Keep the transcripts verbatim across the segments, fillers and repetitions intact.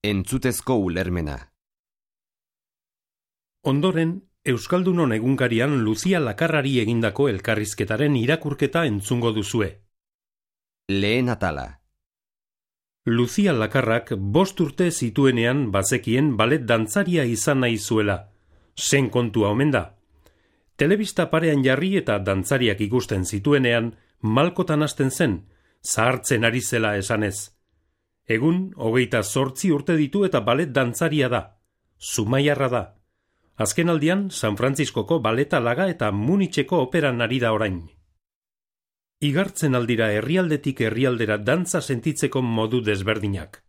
Entzutezko ulermena. Ondoren, Euskaldunon egunkarian Luzia Lakarrari egindako elkarrizketaren irakurketa entzungo duzue. Lehen atala. Luzia Lakarrak bost urte zituenean bazekien balet dantzaria izan nahi zuela. Zen kontua omen da. Telebista parean jarri eta dantzariak ikusten zituenean malkotan hasten zen, zahartzen ari zela esanez. Egun, hogeita zortzi urte ditu eta balet dantzaria da. Zumaiarra da. Azken aldian, San Frantziskoko baleta laga eta Munitzeko operan ari da orain. Igartzen aldira herrialdetik herrialdera dantza sentitzeko modu desberdinak.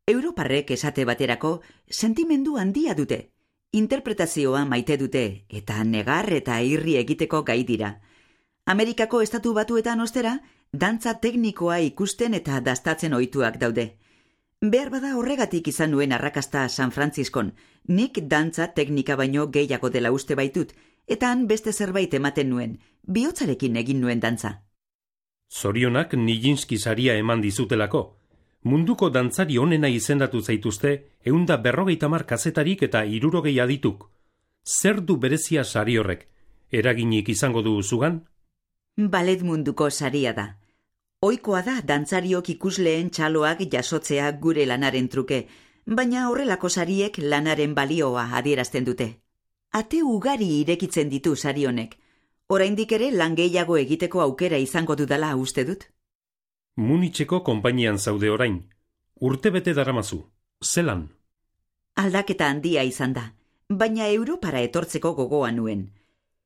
Europarrek esate baterako sentimendu handia dute. Interpretazioa maite dute eta negar eta irri egiteko gai dira. Amerikako estatu batuetan ostera, dantza teknikoa ikusten eta dastatzen ohituak daude. Behar bada horregatik izan nuen arrakasta San Frantziskon, nik dantza teknika baino gehiago dela uste baitut, eta han beste zerbait ematen nuen, bihotzarekin egin nuen dantza. Zorionak Nijinsky saria eman dizutelako. Munduko dantzari onena izendatu zaituzte ehunda berrogeita hamar kazetarik eta hirurogei adituk. Zer du berezia sari horrek? Eraginik izango du zugan? Balet munduko saria da. Ohikoa da dantzariok ikusleen txaloak jasotzea gure lanaren truke, baina horrelako sariek lanaren balioa adierazten dute. Ate ugari irekitzen ditu sari honek. Oraindik ere lan gehiago egiteko aukera izango dudala uste dut. Munitzeko konpainian zaude orain. Urtebete daramazu. Zelan? Aldaketa handia izan da, baina Europara etortzeko gogoa nuen.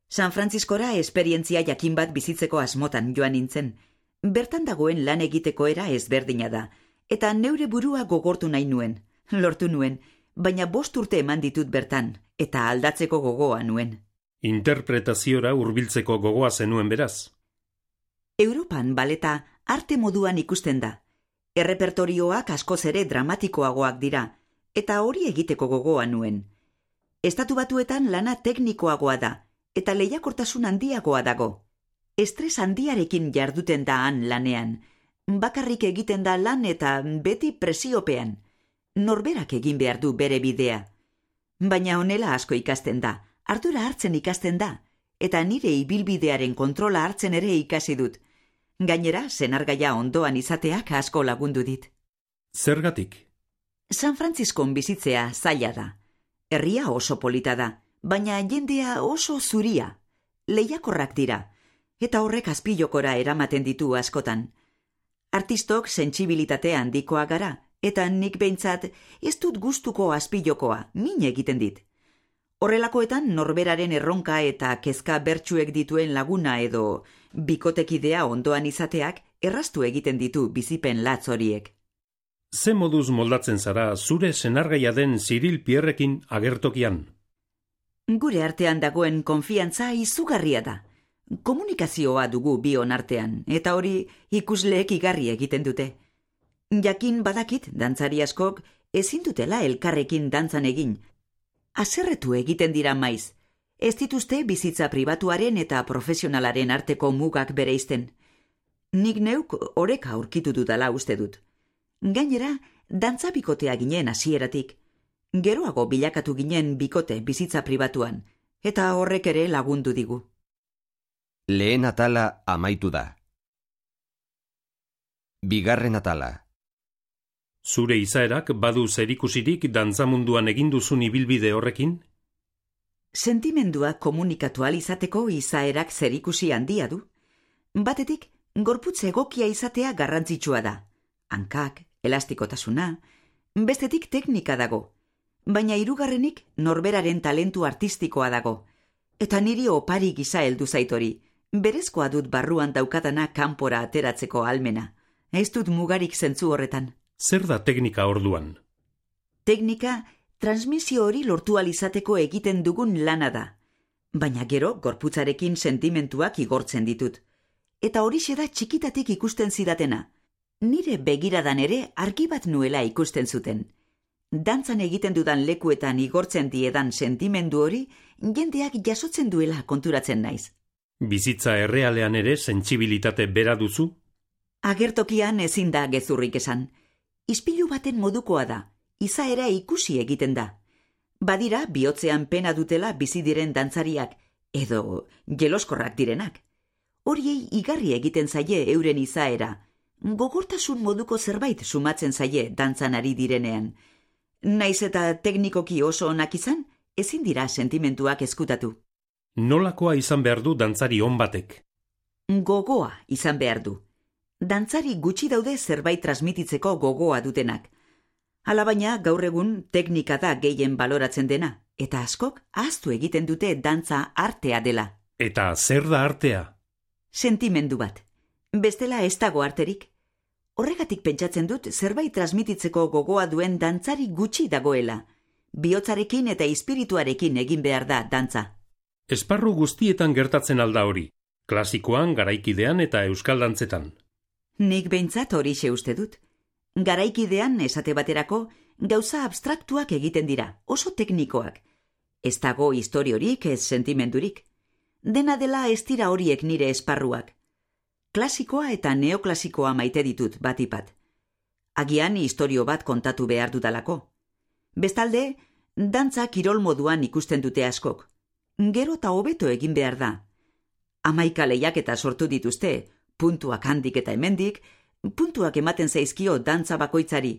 San Frantziskora esperientzia jakin bat bizitzeko asmotan joan nintzen. Bertan dagoen lan egiteko era ezberdina da, eta neure burua gogortu nahi nuen. Lortu nuen, baina bost urte eman ditut bertan, eta aldatzeko gogoa nuen. Interpretaziora hurbiltzeko gogoa zenuen beraz. Europan baleta arte moduan ikusten da. Errepertorioak askoz ere dramatikoagoak dira, eta hori egiteko gogoa nuen. Estatu Batuetan lana teknikoagoa da, eta lehiakortasun handiagoa dago. Estres handiarekin jarduten da han lanean. Bakarrik egiten da lan eta beti presiopean. Norberak egin behar du bere bidea. Baina honela asko ikasten da, ardura hartzen ikasten da, eta nire ibilbidearen kontrola hartzen ere ikasi dut. Gainera, senargaia ondoan izateak asko lagundu dit. Zergatik? San Frantziskon bizitzea zaila da. Herria oso polita da, baina jendea oso zuria. Lehiakorrak dira, eta horrek azpilokora eramaten ditu askotan. Artistok sentsibilitate handikoa gara, eta nik behintzat ez dut gustuko azpilokoa, min egiten dit. Horrelakoetan norberaren erronka eta kezka bertsuek dituen laguna edo bikotekidea ondoan izateak erraztu egiten ditu bizipen latz horiek. Ze moduz moldatzen zara zure senargaia den Cyril Pierrekin agertokian? Gure artean dagoen konfiantza izugarria da. Komunikazioa dugu bion artean, eta hori ikusleek igarri egiten dute. Jakin badakit dantzari askok ezin dutela elkarrekin dantzan egin. Haserretu egiten dira maiz. Ez dituzte bizitza pribatuaren eta profesionalaren arteko mugak bereizten. Nik neuk oreka aurkitu dudala uste dut. Gainera, dantza bikotea ginen hasieratik. Geroago bilakatu ginen bikote bizitza pribatuan, eta horrek ere lagundu digu. Lehen atala amaitu da. Bigarren atala. Zure izaerak badu zerikusirik dantzamunduan egin duzun ibilbide horrekin? Sentimendua komunikatu ahal izateko izaerak zerikusi handia du. Batetik, gorputz egokia izatea garrantzitsua da. Hankak, elastikotasuna, bestetik teknika dago. Baina hirugarrenik norberaren talentu artistikoa dago. Eta niri opari gisa heldu zaitori. Berezkoa dut barruan daukadana kanpora ateratzeko ahalmena. Ez dut mugarik zentzu horretan. Zer da teknika orduan? Teknika, transmisio hori lortu ahal izateko egiten dugun lana da. Baina gero, gorputzarekin sentimentuak igortzen ditut. Eta horixe da txikitatik ikusten zidatena. Nire begiradan ere argi bat nuela ikusten zuten. Dantzan egiten dudan lekuetan igortzen diedan sentimendu hori, jendeak jasotzen duela konturatzen naiz. Bizitza errealean ere sentsibilitate bera duzu? Agertokian ezin da gezurrik esan. Ispilu baten modukoa da, izaera ikusi egiten da. Badira bihotzean pena dutela bizi diren dantzariak, edo jeloskorrak direnak. Horiei igarri egiten zaie euren izaera, gogortasun moduko zerbait sumatzen zaie dantzan ari direnean. Naiz eta teknikoki oso onak izan, ezin dira sentimentuak ezkutatu. Nolakoa izan behar du dantzari on batek? Gogoa izan behar du. Dantzari gutxi daude zerbait transmititzeko gogoa dutenak. Alabaina gaur egun teknika da gehien baloratzen dena, eta askok ahaztu egiten dute dantza artea dela. Eta zer da artea? Sentimendu bat. Bestela ez dago arterik. Horregatik pentsatzen dut zerbait transmititzeko gogoa duen dantzari gutxi dagoela. Bihotzarekin eta espirituarekin egin behar da dantza. Esparru guztietan gertatzen alda hori, klasikoan, garaikidean eta euskal dantzetan. Nik behintzat horixe uste dut. Garaikidean, esate baterako, gauza abstraktuak egiten dira, oso teknikoak. Ez dago historiorik, ez sentimendurik. Dena dela ez dira horiek nire esparruak. Klasikoa eta neoklasikoa maite ditut batipat. Agian historio bat kontatu behar dudalako. Bestalde, dantza kirol moduan ikusten dute askok. Gero eta hobeto egin behar da. Hamaika lehiaketa sortu dituzte, puntuak handik eta hemendik, puntuak ematen zaizkio dantza bakoitzari.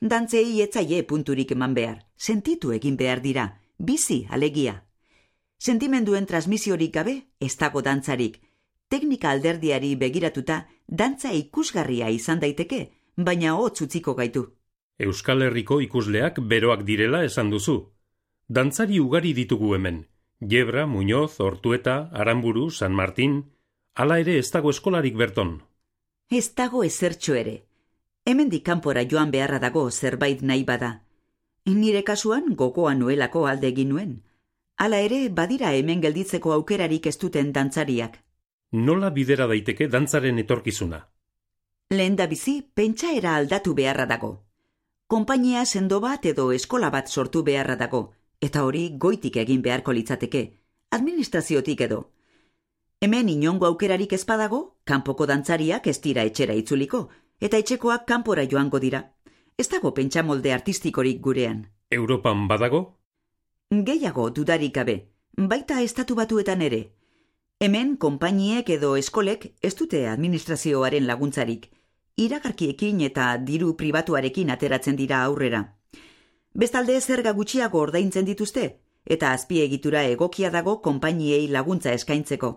Dantzei etzaie punturik eman behar, sentitu egin behar dira, bizi alegia. Sentimenduen transmisiorik gabe, ez dago dantzarik. Teknika alderdiari begiratuta, dantza ikusgarria izan daiteke, baina hotz utziko gaitu. Euskal Herriko ikusleak beroak direla esan duzu. Dantzari ugari ditugu hemen. Gebra, Muñoz, Ortueta, Aramburu, San Martin, hala ere ez dago eskolarik berton. Ez dago ezertxo ere. Hemendik kanpora joan beharra dago zerbait nahi bada. Nire kasuan gogoa nuelako alde egin nuen. Hala ere badira hemen gelditzeko aukerarik ez duten dantzariak. Nola bidera daiteke dantzaren etorkizuna? Lehendabizi pentsaera aldatu beharra dago. Konpainia sendo bat edo eskola bat sortu beharra dago, eta hori goitik egin beharko litzateke, administraziotik edo. Hemen inongo aukerarik ez badago, kanpoko dantzariak ez dira etxera itzuliko, eta etxekoak kanpora joango dira. Ez dago pentsamolde artistikorik gurean. Europan badago? Gehiago dudarik gabe, baita estatu batuetan ere. Hemen konpainiek edo eskolek ez dute administrazioaren laguntzarik, iragarkiekin eta diru pribatuarekin ateratzen dira aurrera. Bestalde zerga gutxiago ordaintzen dituzte, eta azpiegitura egokia dago konpainiei laguntza eskaintzeko.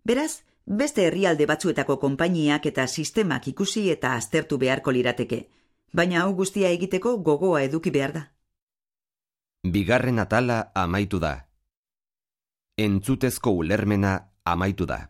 Beraz, beste herrialde batzuetako konpainiak eta sistemak ikusi eta aztertu beharko lirateke, baina hau guztia egiteko gogoa eduki behar da. Bigarren atala amaitu da. Entzutezko ulermena amaitu da.